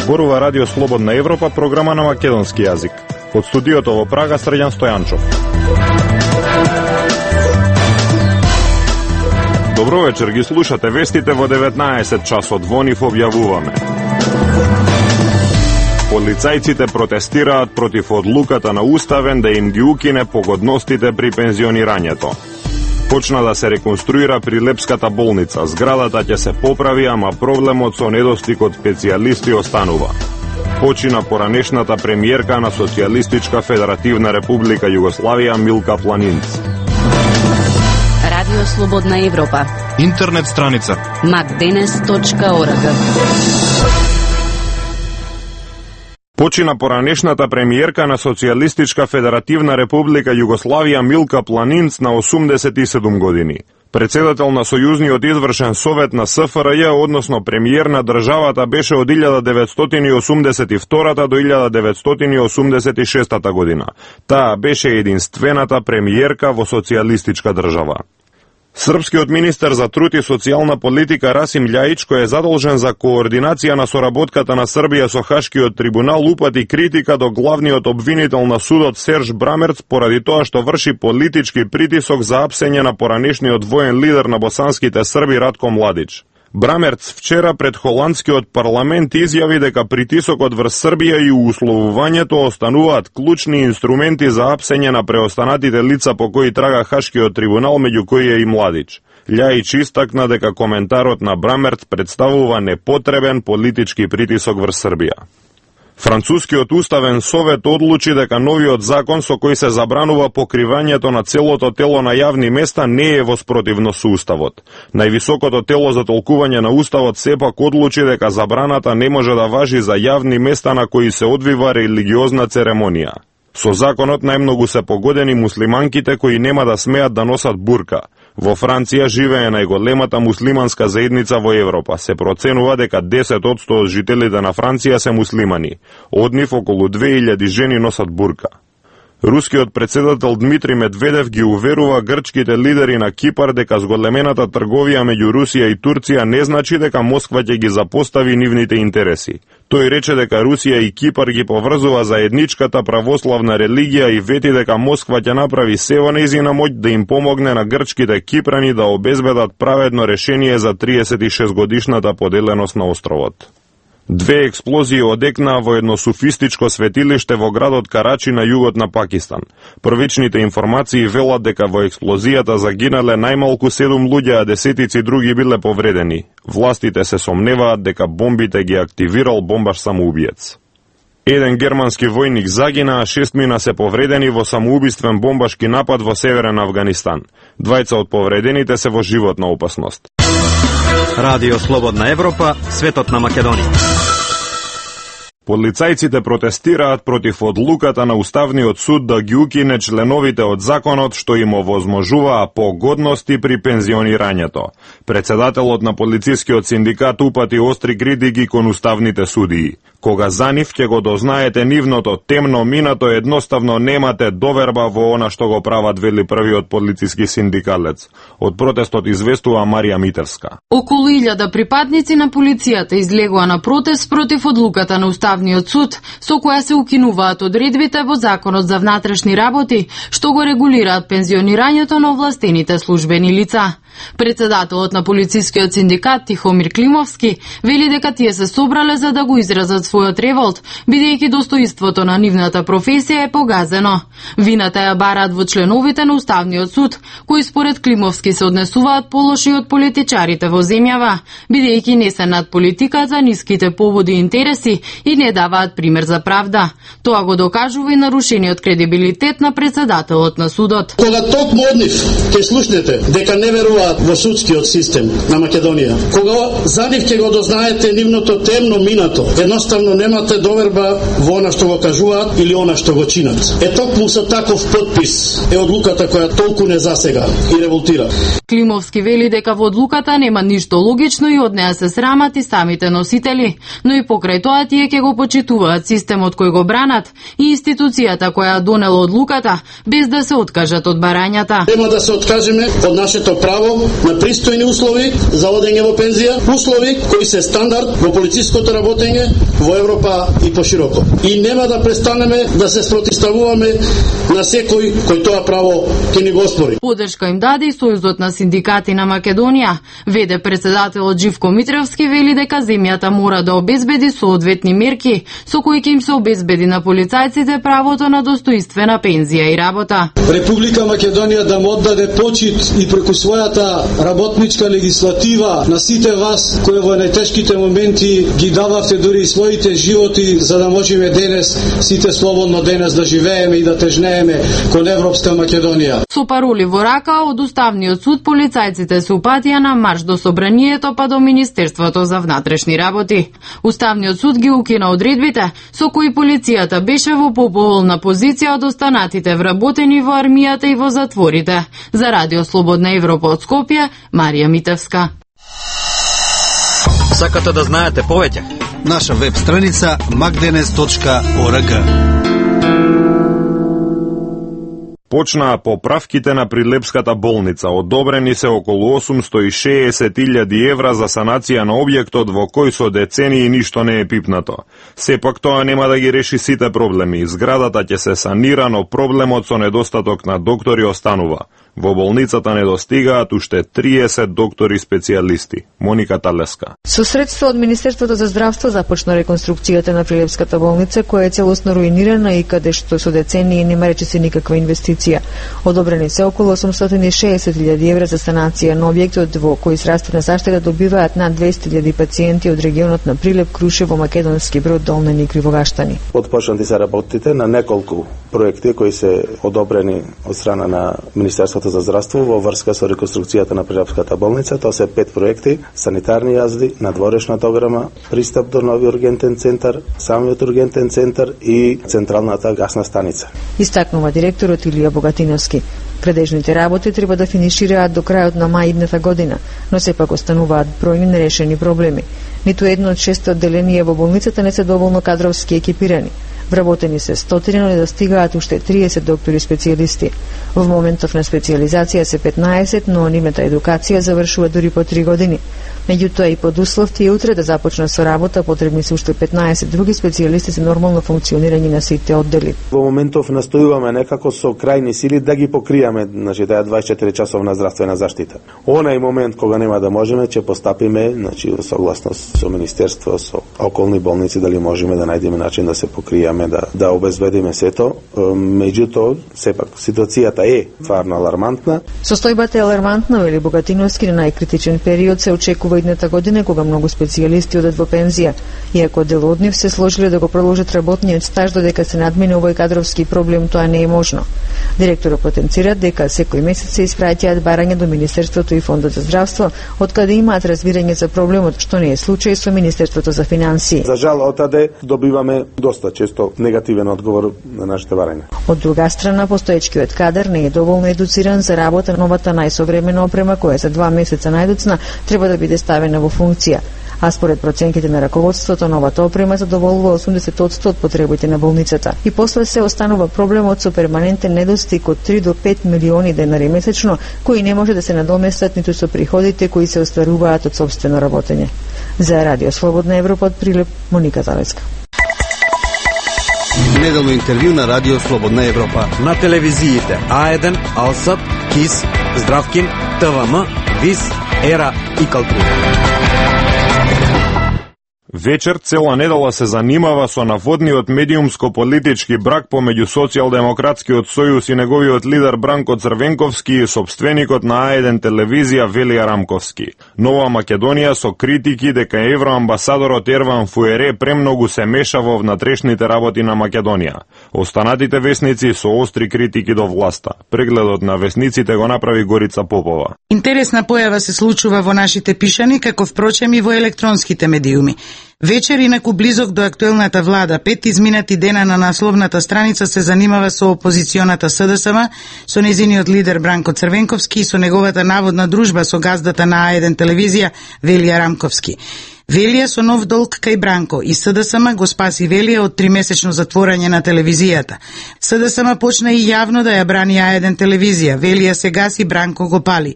Зборува Радио Слободна Европа, програма на македонски јазик. Од студиото во Прага, Срđan Стојанчов. Добро вечер, ги слушате вестите во 19 часот. Во нив објавуваме. Полицајците протестираат против одлуката на Уставен да им ги укине погодностите при пензионирањето. Почна да се реконструира Прилепската болница. Зградата ќе се поправи, ама проблемот со недостиг од специјалисти останува. Почина поранешната премиерка на Социјалистичка Федеративна Република Југославија Милка Планинц. Радио Слободна Европа. Интернет страница macdenes.org. Почина поранешната премиерка на Социјалистичка Федеративна Република Југославија Милка Планинц на 87 години. Председател на Сојузниот извршен совет на СФРЈ, односно премиер на државата, беше од 1982 до 1986 година. Таа беше единствената премиерка во социјалистичка држава. Српскиот министер за труд и социјална политика Расим Љајич, кој е задолжен за координација на соработката на Србија со Хашкиот трибунал, упати критика до главниот обвинител на судот Серж Брамерц поради тоа што врши политички притисок за апсење на поранешниот воен лидер на босанските Срби Ратко Младич. Брамерц вчера пред холандскиот парламент изјави дека притисокот врз Србија и условувањето остануваат клучни инструменти за апсење на преостанатите лица по кои трага Хашкиот трибунал, меѓу кои е и Младич. Љајич истакна дека коментарот на Брамерц представува непотребен политички притисок врз Србија. Францускиот уставен совет одлучи дека новиот закон со кој се забранува покривањето на целото тело на јавни места не е во спротивност со уставот. Највисокото тело за толкување на уставот сепак одлучи дека забраната не може да важи за јавни места на кои се одвива религиозна церемонија. Со законот најмногу се погодени муслиманките кои нема да смеат да носат бурка. Во Франција живее најголемата муслиманска заедница во Европа. Се проценува дека 10% од жителите на Франција се муслимани. Од нив околу 2000 жени носат бурка. Рускиот председател Дмитрий Медведев ги уверува грчките лидери на Кипар дека зголемената трговија меѓу Русија и Турција не значи дека Москва ќе ги запостави нивните интереси. Тој рече дека Русија и Кипар ги поврзува заедничката православна религија и вети дека Москва ќе направи се во нејзина моќ да им помогне на грчките кипрани да обезбедат праведно решение за 36 годишната поделеност на островот. Две експлозии одекнаа во едно суфистичко светилиште во градот Карачи на југот на Пакистан. Првичните информации велат дека во експлозијата загинале најмалку 7 луѓе, а десетици други биле повредени. Властите се сомневаат дека бомбите ги активирал бомбаш самоубиец. Еден германски војник загина, а 6 мина се повредени во самоубиствен бомбашки напад во северен Авганистан. Двајца од повредените се во животна опасност. Радио Слободна Европа, светот на Македонија. Полицајците протестираат против одлуката на Уставниот суд да ги укине членовите од законот што им овозможуваа погодности при пензионирањето. Председателот на полицискиот синдикат упати остри критики кон уставните судии. Кога за нив ќе го дознаете нивното темно минато, едноставно немате доверба во она што го прават, вели првиот полициски синдикалец. Од протестот известува Марија Митерска. Околу 1000 припадници на полицијата излегоа на протест против одлуката на Уставниот суд, со која се укинуваат одредбите во Законот за внатрешни работи, што го регулираат пензионирањето на овластените службени лица. Председателот на полицискиот синдикат Тихомир Климовски вели дека тие се собрале за да го изразат својот револт, бидејќи достоинството на нивната професија е погазено. Вината ја бараат во членовите на Уставниот суд, кои според Климовски се однесуваат полоши од политичарите во земјава, бидејќи не се над политиката, ниските поводи и интереси и не даваат пример за правда. Тоа го докажува и нарушениот кредибилитет на председателот на судот. Кога токму од нив ќе слушнете дека не веруваат во судскиот систем на Македонија, кога за нив ќе го дознаете нивното темно минато, едноставно немате доверба во она што го кажуваат или она што го чинат. Токму со таков подпис е одлуката која толку не засега и револтира. Климовски вели дека во одлуката нема ништо логично и од неа се срамат и самите носители, но и покрај тоа тие ќе го почитуваат системот кој го бранат и институцијата која донела одлуката, без да се откажат од барањата. Нема да се откажеме од нашето право право на пристојни услови за одење во пензија, услови кои се стандард во полициското работење во Европа и пошироко. И нема да престанеме да се спротивставуваме на секој кој тоа право ќе ни го оспори. Поддршка им даде и Сојузот на синдикати на Македонија. ВД председателот Живко Митревски вели дека земјата мора да обезбеди соодветни мерки со кои ќе им се обезбеди на полицајците правото на достоинствена пензија и работа. Република Македонија да му оддаде почит и преку својата работничка легислатива на сите вас кои во најтешките моменти ги дававте дури и своите животи за да можеме денес сите слободно денес да живееме и да тежнееме кон Европска Македонија. Со пароли во рака од Уставниот суд полицајците се упатија на марш до Собранието па до Министерството за внатрешни работи. Уставниот суд ги укина одредбите со кои полицијата беше во поповолна позиција од останатите вработени во армијата и во затворите. За Радио Слободна Европа од Скопје, Марија Митевска. Сакате да знаете повеќе? Наша веб страница magdenes.org. Почнаа поправките на Прилепската болница. Одобрени се околу 860.000 евра за санација на објектот во кој со децении ништо не е пипнато. Сепак тоа нема да ги реши сите проблеми. Зградата ќе се санира, но проблемот со недостаток на доктори останува. Во болницата недостигаат уште 30 доктори специјалисти. Моника Талеска. Со средства од Министерството за здравство започна реконструкцијата на Прилепската болница, која е целосно руинирана и каде што со децении нема речиси никаква инвестиција. Одобрени се околу 860.000 евра за санација на објектот во кој здравствена заштита добиваат над 200.000 пациенти од регионот на Прилеп, Крушево, Македонски Брод, Долна Ник и Кривогаштани. Отпочнати се работите на неколку проекти кои се одобрени од страна на Министерството за здравство во врска со реконструкцијата на Прилепската болница. Тоа се 5 проекти: санитарни јазди, надворешна дограма, пристап до нови ургентен центар, самиот ургентен центар и централната гасна станица. Истакнува директорот Илија Богатиновски. Предежните работи треба да финишираат до крајот на мај идната година, но сепак остануваат бројни нерешени проблеми. Ниту едно од 6 одделенија во болницата не се доволно кадровски екипирани. Вработени се 100, но недостигаат уште 30 доктори специјалисти. Во моментов на специјализација се 15, но нивната едукација завршува дури по 3 години. Меѓутоа и под услов тие утре да започнат со работа, потребни се уште 15 други специјалисти за нормално функционирање на сите оддели. Во моментов настојуваме некако со крајни сили да ги покриеме, значи таа 24 часовна здравствена заштита. Онај момент кога нема да можеме, ќе постапиме, значи согласно со министерство, со околни болници, дали можеме да најдеме начин да се покриеме, да обезбедиме сето. Меѓутоа, сепак ситуацијата е стварно алармантна. Состојбата е алармантна, вели Богатиновски, на најкритичен период се очекува идната година кога многу специјалисти одат во пензија. Иако дел од нив се сложиле да го продолжат работниот стаж додека се надмине овој кадровски проблем, тоа не е можно. Директорот потенцира дека секој месец се испраќаат барања до Министерството и Фондот за здравство, откаде имаат разбирање за проблемот, што не е случај со Министерството за финансии. За жал, отаде добиваме доста често негативен одговор на нашите барања. Од друга страна, постоечкиот кадар не е доволно едуциран за работа на новата најсовремена опрема која за 2 месеца најдоцна треба да биде ставена во функција. А според проценките на раководството, новата опрема задоволува 80% од потребите на болницата. И после се останува проблемот со перманентен недостиг од 3 до 5 милиони денари месечно, кои не може да се надоместат ниту со приходите кои се остваруваат од сопствено работење. За Радио Слободна Европа од Прилеп, Моника Залеска. Неделно интервју на Радио Слободна Европа. На телевизиите А1, Алсат, КИС, Здравкин, ТВМ, ВИС, ЕРА и Калтура. Вечер цела недела се занимава со наводниот медиумско-политички брак помеѓу Социјалдемократскиот сојуз и неговиот лидер Бранко Црвенковски и собственикот на А1 телевизија Велија Рамковски. Нова Македонија со критики дека евроамбасадорот Ерван Фуере премногу се меша во внатрешните работи на Македонија. Останатите весници со остри критики до власта. Прегледот на весниците го направи Горица Попова. Интересна појава се случува во нашите пишани, како впрочем и во електронските медиуми. Вечер, инаку близок до актуелната влада, 5 изминати дена на насловната страница се занимава со опозиционата СДСМ, со незиниот лидер Бранко Црвенковски и со неговата наводна дружба со газдата на А1 телевизија Велија Рамковски. Велија со нов долг кај Бранко и СДСМ го спаси Велија од 3-месечно затворање на телевизијата. СДСМ почна и јавно да ја брани А1 телевизија. Велија се гаси, Бранко го пали.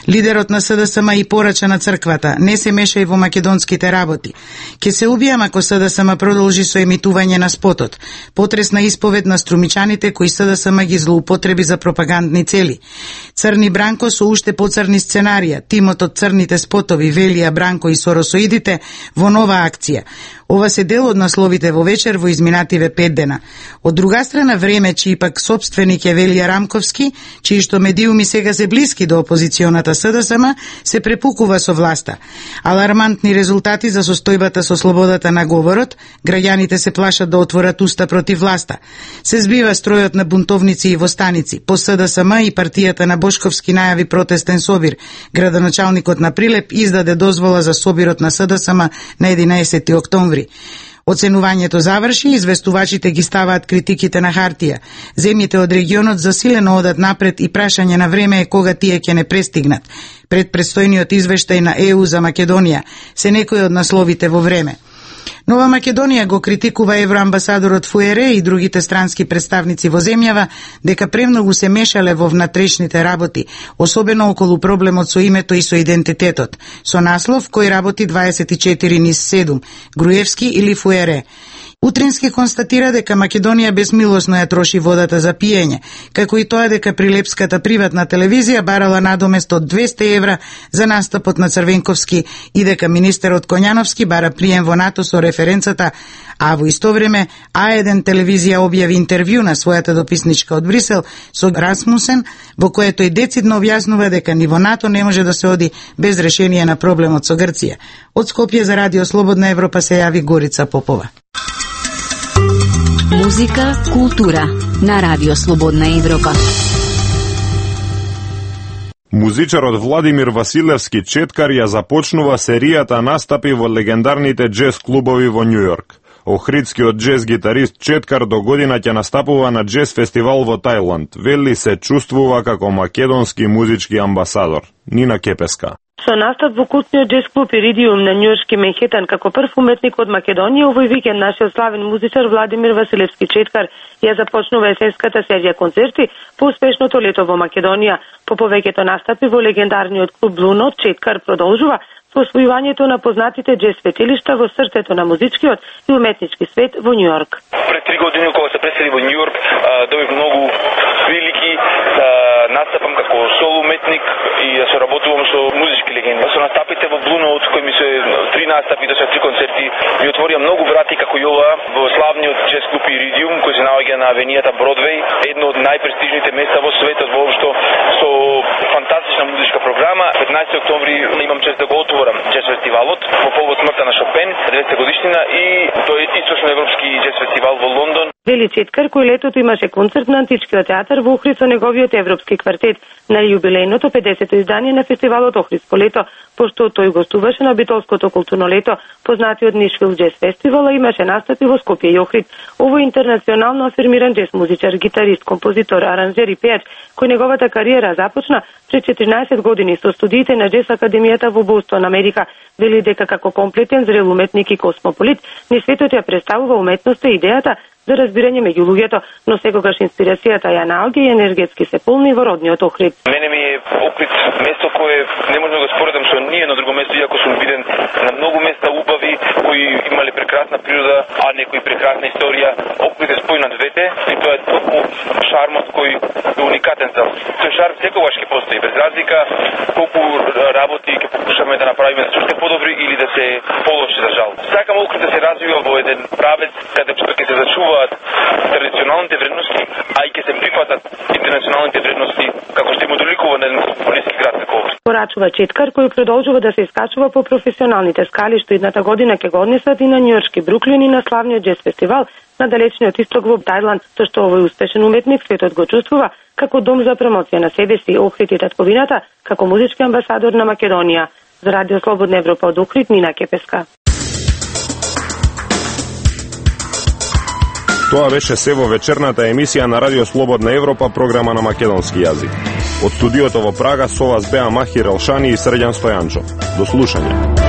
Лидерот на СДСМ и порача на црквата: не се мешај во македонските работи. Ке се убијам ако СДСМ продолжи со емитување на спотот. Потресна исповед на струмичаните кои СДСМ ги злоупотреби за пропагандни цели. Црни Бранко со уште поцрни сценарија. Тимот од црните спотови, Велија, Бранко и соросоидите во нова акција. Ова се дел од насловите во вечер во изминативе 5 дена. Од друга страна, Време, чиј пак сопственик е Велија Рамковски, чиј што медиуми сега се блиски до опозиционата СДСМ, се препукува со власта. Алармантни резултати за состојбата со слободата на говорот, граѓаните се плашат да отворат уста против власта. Се збива стројот на бунтовници и востаници. По СДСМ и партијата на Бошковски најави протестен собир. Градоначалникот на Прилеп издаде дозвола за собирот на СДСМ на 11 октомври. Оценувањето заврши, известувачите ги ставаат критиките на хартија. Земјите од регионот засилено одат напред и прашање на Време е кога тие ќе не престигнат. Пред предстојниот извештај на ЕУ за Македонија се некои од насловите во Време. Нова Македонија го критикува евроамбасадорот Фуере и другите странски представници во земјава дека премногу се мешале во внатрешните работи, особено околу проблемот со името и со идентитетот, со наслов кој работи 24/7, Груевски или Фуере. Утрински констатира дека Македонија безмилосно ја троши водата за пиење, како и тоа дека Прилепската приватна телевизија барала надомест од 200 евра за настапот на Црвенковски и дека министерот Коњановски бара прием во НАТО со референцата, а во исто време А1 телевизија објави интервју на својата дописничка од Брисел со Расмусен, во кое тој децидно објаснува дека ни во НАТО не може да се оди без решение на проблемот со Грција. Од Скопје за Радио Слободна Европа се јави Горица Попова. Музика, култура на Радио Слободна Европа. Музичарот Владимир Василевски Четкар ја започнува серијата настапи во легендарните джез клубови во Њујорк. Охридскиот джез гитарист Четкар до година ќе настапува на джез фестивал во Тајланд. Вели се чувствува како македонски музички амбасадор. Нина Кепеска. Со настап во култниот джез клуб Иридиум на њујоршки Менхетан како прв уметник од Македонија, овој викенд нашиот славен музичар Владимир Василевски Четкар ја започнува есенската серија концерти по успешното лето во Македонија. По повеќето настапи во легендарниот клуб Blue Note, Четкар продолжува со освојувањето на познатите джез светилишта во срцето на музичкиот и уметнички свет во Њујорк. Пред 3 години кога се пресели во Њујорк, добив многу прилики да настапам како соло уметник и да се работувам со музички легенди. Со настапите во Blue Note, кои ми се 3 настапи, до сега 3 концерти, ми отворија многу врати како и ова во славниот джез клуб Иридиум, кој се наоѓа на авенијата Бродвеј, едно од најпрестижните места во светот воопшто, со фантастична музичка програма. 15 октомври имам чест да го отворам джез фестивалот во повод смртта на Шопен, 90 годишнина, и тој источноевропски джез фестивал во Лондон. Вели Четкар, кој летото имаше концерт на Античкиот театар во Охрид со неговиот европски квартет на јубилејното 50-то издание на фестивалот Охридско лето, пошто тој гостуваше на Битолското културно лето, познатиот Нишвил джез фестивал, имаше настапи во Скопје и Охрид. Овој интернационално афирмиран джез музичар, гитарист, композитор, аранжер и пејач, кој неговата кариера започна пред 14 години со студиите на Джез академијата во Бостон, Америка, вели дека како комплетен зрел уметник и космополит, ни светот ја представува уметноста и идејата за разбирање меѓу луѓето, но секогаш инспирацијата ја наоѓа и енергетски се полни во родниот Охрид. Мене ми е Охрид место кое не можам да го споредам со ниедно друго место, иако сум виден на многу места убави кои имале прекрасна природа, а некои прекрасна историја. Охрид е спој на двете и тоа е толку шармот кој е уникатен за тој шарм секогаш ќе постои, без разлика колку работи ќе покушаме да направиме да се уште подобри или да се полоши, за жал. Сакам Охрид да се развива во еден правец каде ќе се зачуваат традиционалните вредности, а и ќе се прифатат интернационалните вредности, како што има доликува на еден космополитски град како Охрид. Порачува Четкар, кој продолжува да се искачува по професионалните скали, што идната година ќе го однесат и на њујоршки Бруклин и на славниот джез фестивал на далечниот исток во Тајланд, со што овој успешен уметник светот го чувствува како дом за промоција на себе си, Охрид и татковината, како музички амбасадор на Македонија. За Радио Слободна Европа од Охрид, Нина Кепеска. Тоа беше се во вечерната емисија на Радио Слободна Европа, програма на македонски јазик. Од студиото во Прага со вас беа Махир Елшани и Срđan Стојанчов. До слушање.